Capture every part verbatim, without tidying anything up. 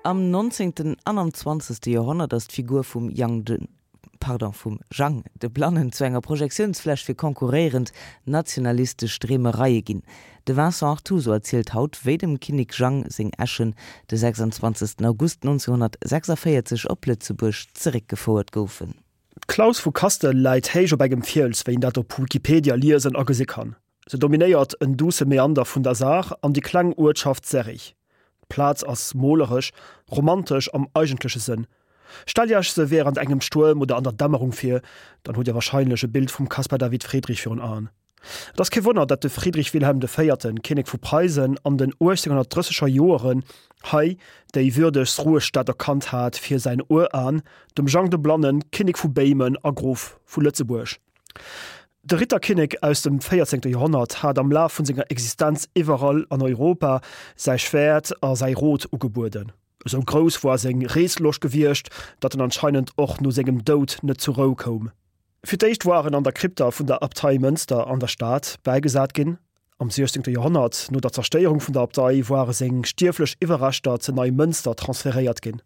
Am nonzéngten an am zwanzegste Joerhonnert ass d'Figur vum Jang de, pardon, vum Jang de Blannen zu enger Projektiounsfläch fir konkurréierend nationalistesch Dreemereie ginn. De Vincent Artuso erzielt haut, wéi dem Kinnek Jang seng Äschen de sechsundzwanzegsten August nonzénghonnertsechsundvéierzeg op Lëtzebuerg zeréckgefouert goufen. D'Klaus vu Kastel läit héich op engem Fiels, wéi een dat op Wikipedia liesen a gesi kann. Se dominéiert en duusse Meander vun der Saar an déi kleng Uertschaft Serrig. D'Plaz ass moleresch, romantesch am eigentleche Sënn. Stellt Iech se wärend engem Stuerm oder an der Dämmerung vir, dann hutt Dir warscheinlech e Bild vum Caspar David Friedrich virun Aen. Et ass kee Wonner, datt de Friedrich Wilhelm de Véierten, Kinnek vu Preisen, an den uechtzénghonnertdrësseger Joeren hei déi würdegst Ruhestatt erkannt hat fir säin Uran, dem Jang de Blannen, Kinnek vu Béimen a Grof vu Lëtzebuerg. De Ritterkinnek aus dem véierzéngte Joerhonnert hat am Laf vun senger Existenz iwwerall an Europa säi Schwäert a säi Rot ugebueden. Esou grouss woar seng Reesloscht gewiescht, datt en anscheinend och no sengem Doud net zur Rou koum. Fir d'éischt woar en an der Krypta vun der Abtei Mënster an der Stad bäigesat ginn. Am siechzéngte Joerhonnert, no der Zerstéierung vun der Abtei, woare seng stierflech Iwwerreschter ze Neimënster transferéiert ginn.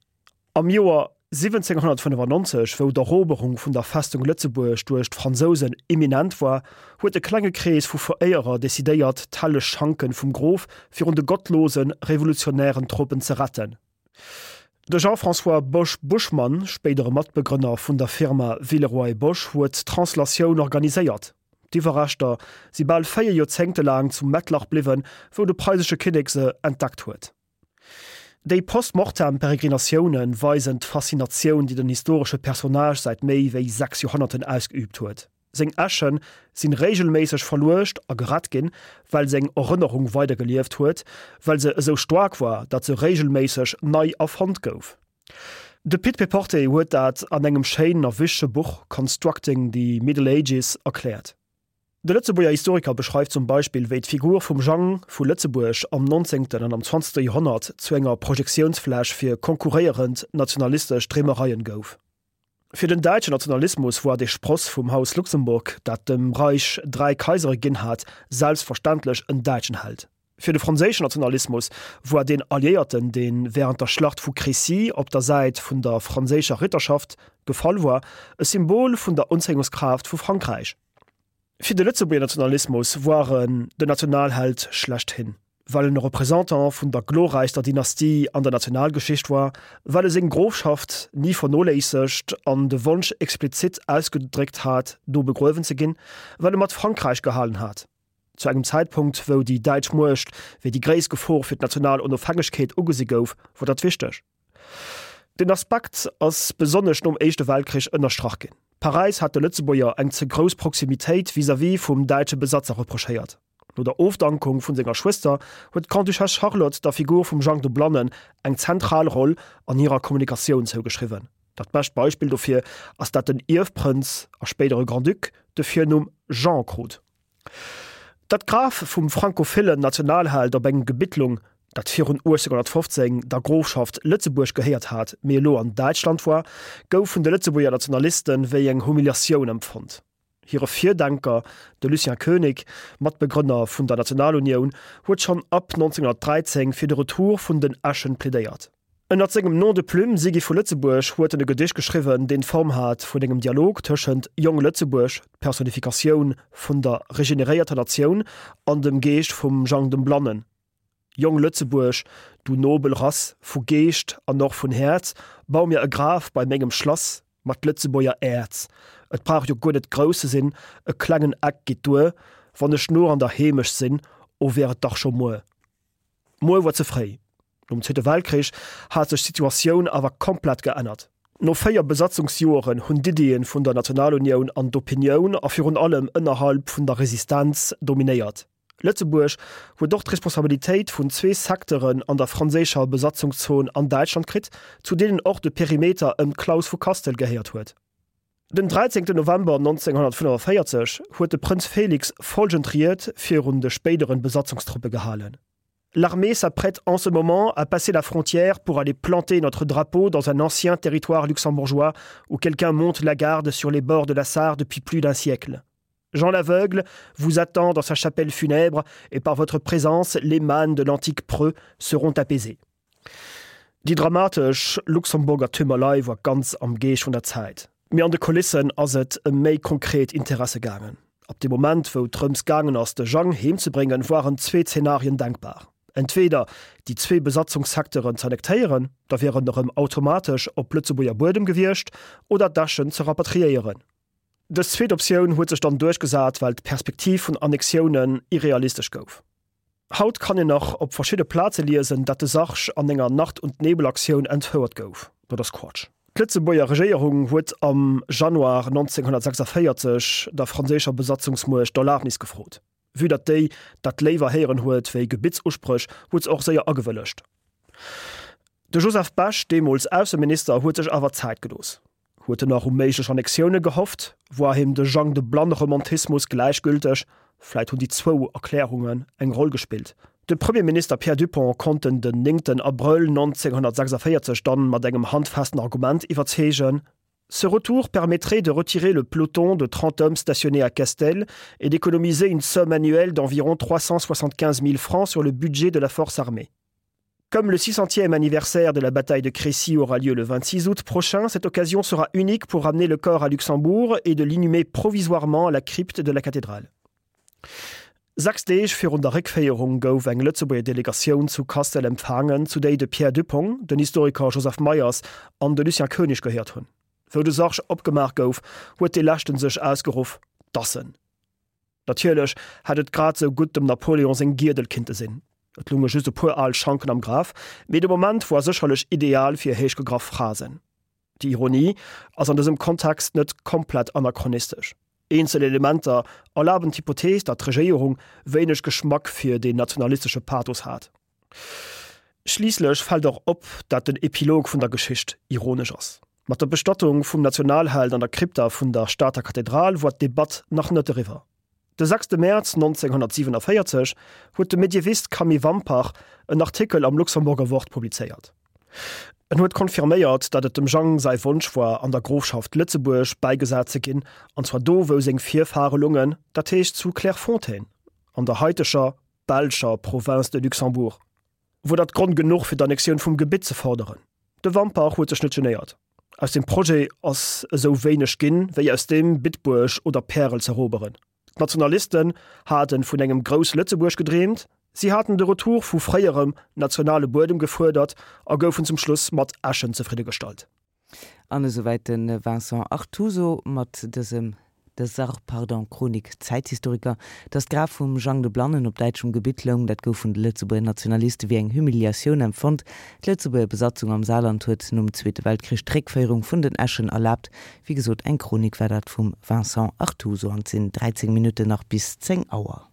Am Joer siwwenzénghonnertfënnefannonzeg, wou d'Eroberung vun der Festung Lëtzebuerg duerch d'Fransousen imminent war, huet e klenge Krees vu Veréierer decidéiert, d'helleg Schanken vum Grof virun de gottlose revolutionären Truppen ze retten. De Jean-François Bosch-Buschmann, spéidere Matbegrënner vun der Firma Villeroy et Boch, huet d'Translatioun organiséiert. D'Iwwerreschter si bal véier Joerzéngte laang zu Mettlach bliwwen, wou de preisesche Kinnek se entdeckt huet. Déi post-mortem Peregrinatioune weisen d'Faszinatioun, déi den historesche Personnage säit méi wéi sechs Joerhonnerten ausgeüübt huet. Seng Äsche sinn reegelméisseg verluecht a gerett ginn, well seng Erënnerung weidergelieft huet, well se esou staark war, datt se reegelméisseg nei erfonnt gouf. De Pit Péporté huet dat an engem schéinen a wichtege Buch Constructing the Middle Ages erkläert. De Lëtzebuerger Historiker beschreift zum Beispill, wéi d'Figur vum Jang vu Lëtzebuerg am nonzéngten an am zwanzegste Joerhonnert zu enger Projektiounsfläch fir konkurréierend nationalistesch Dreemereien gouf. Fir den däitschen Nationalismus war de Spross vum Haus Luxemburg, dat dem Reich dräi Kaisere ginn hat, selbstverständlech en däitschen Held. Fir de franséischen Nationalismus war deen Alliéierten, dee wärend der Schlacht vu Crécy op der Säit vun der franséischer Ritterschaft gefall war, e Symbol vun der Unzéiungskraaft vu Frankräich. Fir de Lëtzebuerger Nationalismus war en den Nationalheld schlechthin, well en e Représentant vun der glorräichster Dynastie an der Nationalgeschicht war, well e seng Grofschaft ni vernoléissegt an de Wonsch explizit ausgedréckt hat, do begruewen ze ginn, well e mat Frankräich gehalen hat. Zu engem Zäitpunkt, wou déi däitsch Muecht wéi déi gréisst Gefor fir d'national Onofhängegkeet ugesi gouf, wor dat wichteg. Den Aspekt ass besonnesch nom Éischte Weltkrich ënnerstrach ginn. Paräis hat de Lëtzebuerger eng ze grouss Proximitéit vis-à-vis vum däitsche Besatzer reprochéiert. No der Ofdankung vun senger Schwëster huet d'Grande-Duchesse Charlotte der Figur vum Jang de Blannen eng zentral Roll an hirer Kommunikatioun zougeschriwwen. Dat bescht Beispill dofir ass dat den Ierfprënz a spéidere Grand-Duc de Virnumm Jean krut. Dat d'Graf vum frankophillen Nationalheld op engem Gebitt lung, dat virun uechtzénghonnertfofzéng der Grofschaft Lëtzebuerg gehéiert hat, mee elo an Däitschland war, gouf vun de Lëtzebuerger Nationaliste wéi eng Humiliatioun empfonnt. Hire Virdenker, de Lucien Koenig, Matbegrënner vun der Nationalunioun, huet schonn ab nonzénghonnertdräizéng fir de Retour vun den Äschen plädéiert. Ënnert sengem Nom de plume Siggy vu Lëtzebuerg huet en e Gedicht geschriwwen, deen d'Form hat vun engem Dialog tëschent Jong Lëtzebuerg, d'Personifikatioun vun der regeneréierter Natioun, an dem Geescht vum Jang dem Blannen. Jong Lëtzebuerg, du nobel Rass, vu Geescht an och vun Häerz, bau mir e Graf bei mengem Schlass mat Lëtzebuerger Äerz. Et brauch jo guer net grouss ze sinn, e klengen Eck geet duer, wann ech nur an der Heemecht sinn, o wär et dach scho muer. Muer wuar ze fréi. Nom Zweete Weltkrich hat sech d'Situatioun awer komplett geännert. No véier Besatzungsjoeren hunn d'Iddien vun der Nationalunioun an d'Opinioun a virun allem ënnerhalb vun der Resistenz dominéiert. Lëtzebuerg huet och d'Responsabilitéit vun zwee Secteuren an der franséischer Besatzungszon an Däitschland kritt, zu deenen och de Perimeter ëm d'Klaus vu Kastel gehéiert huet. Den dräizéngten November nonzénghonnertfënnefenvéierzeg huet de Prënz Félix folgend Ried virun de spéideren Besatzungstruppe gehalen. L'armée s'apprête en ce moment à passer la frontière pour aller planter notre drapeau dans un ancien territoire luxembourgeois où quelqu'un monte la garde sur les bords de la Sarre depuis plus d'un siècle. Jean l'Aveugle vous attend dans sa chapelle funèbre et par votre présence les mânes de l'antique preux seront apaisées. Déi dramatesch Luxemburger Tümerlei war ganz am Geescht vun der Zäit. Mee an de Kulissen ass et ëm méi konkret Interesse gaangen. Ab dem Moment, wou et drëms gaangen ass, de Jang heemzebréngen, waren zwee Zenarien denkbar, Entweeder déi zwee Besatzungssecteuren z'annektéieren, da wier en erëm automatesch op Lëtzebuerger Buedem gewiescht, oder d'Äschen ze rapatriéieren. Dës zweet Optioun huet sech dann duerchgesat, well d'Perspektiv vun Annexiounen irrealistesch gouf. Haut kann een nach op verschidde Plaze liesen, dat de Sarg an enger Nacht und Nebel-Aktioun entfouert gouf. Dat ass Quatsch. D'Lëtzebuerger Regéierung huet am Januar neunzehnhundertsechsundvierzig der franséischer Besatzungsmuecht d'Erlabnis gefrot. Vue datt déi dat léiwer héieren huet wéi Gebittsuspréch, huet se och séier agewëllegt. De Joseph Bech, deemools Ausseminister, huet sech awer Zäit gelooss. Huet en nach u méiglech Annexioune gehofft? Woar him de Jang-de-Blanne-Romantismus gläichgülteg? Vläit hunn déi zwou Erklärungen eng Roll gespillt. De Premierminister Pierre Dupong konnt en den néngten Abrëll neunzehnhundertsechsundvierzig dann mat engem handfesten Argument iwwerzeegen, Ce retour permettrait de retirer le peloton de trente hommes stationnés à Castel et d'économiser une somme annuelle d'environ trois cent soixante-quinze mille francs sur le budget de la force armée. Comme le six centième anniversaire de la bataille de Crécy aura lieu le vingt-six août prochain, cette occasion sera unique pour ramener le corps à Luxembourg et de l'inhumer provisoirement à la crypte de la cathédrale. Sechs Deeg virun der Réckféierung gouf eng Lëtzebuerger Delegatioun zu Castel empfaangen, zu déi de Pierre Dupong, den Historiker Joseph Meyers an de Lucien Koenig gehéiert hunn. Wou de Sarg opgemaach gouf, huet dee leschten sech ausgeruff, Dassen! Natierlech hätt et grad sou gutt dem Napoléon seng Giedel kinnte sinn. Et lounge just e puer al Schanken am Graf, mee de Moment woar sécherlech ideal fir héichgegraff Phrasen. Déi Ironie ass an dësem Kontext net komplett anachronistesch. Eenzel Elementer erlaben d'Hypothees, datt d'Regéierung wéineg Geschmack fir deen nationalistesche Pathos hat. Schliisslech fält och op, dat den Epilog vun der Geschicht ironesch ass. Mat der Bestattung vum Nationalheld an der Krypta vun der Stater Kathedral woar d'Debatt nach net eriwwer. De sechste Mäerz neunzehnhundertsiebenundvierzig huet de Medievist Camille Wampach en Artikel am Luxemburger Wort publizéiert. En huet confirméiert, datt et dem Jang säi Wonsch woar, an der Grofschaft Lëtzebuerg bäigesat ze ginn, an zwar do, wou seng Virfahre lungen, dat heescht zu Clairefontaine, an der haiteger belscher Province de Luxembourg. Wor dat Grond genuch fir d'Annexioun vum Gebitt ze forderen? De Wampach huet sech net genéiert. Aus dem Projet ass esou wéineg ginn, wéi aus deem, Bitburg oder Pärel z'eroberen. D'Nationalisten hate vun engem Grouss-Lëtzebuerg gedreemt, si haten de Retour vu fréierem nationale Buedem gefuerdert a goufen zum Schluss mat Äschen zefriddegestallt. An esouwäit de Vincent Artuso mat dësem dëser, pardon, Chronik Zäithistoriker. Datt d'Graf vum Jang de Blannen op däitschem Gebitt loung, dat gouf vun de Lëtzebuerger Nationaliste wéi eng Humiliatioun empfonnt. D'Lëtzebuerger Besatzung am Saarland huet nom Zweete Weltkrich d'Réckféierung vun den Äschen erlaabt. Wéi gesot, eng Chronik war dat vum Vincent Artuso an et sinn dräizéng Minutten nach bis zéng Auer.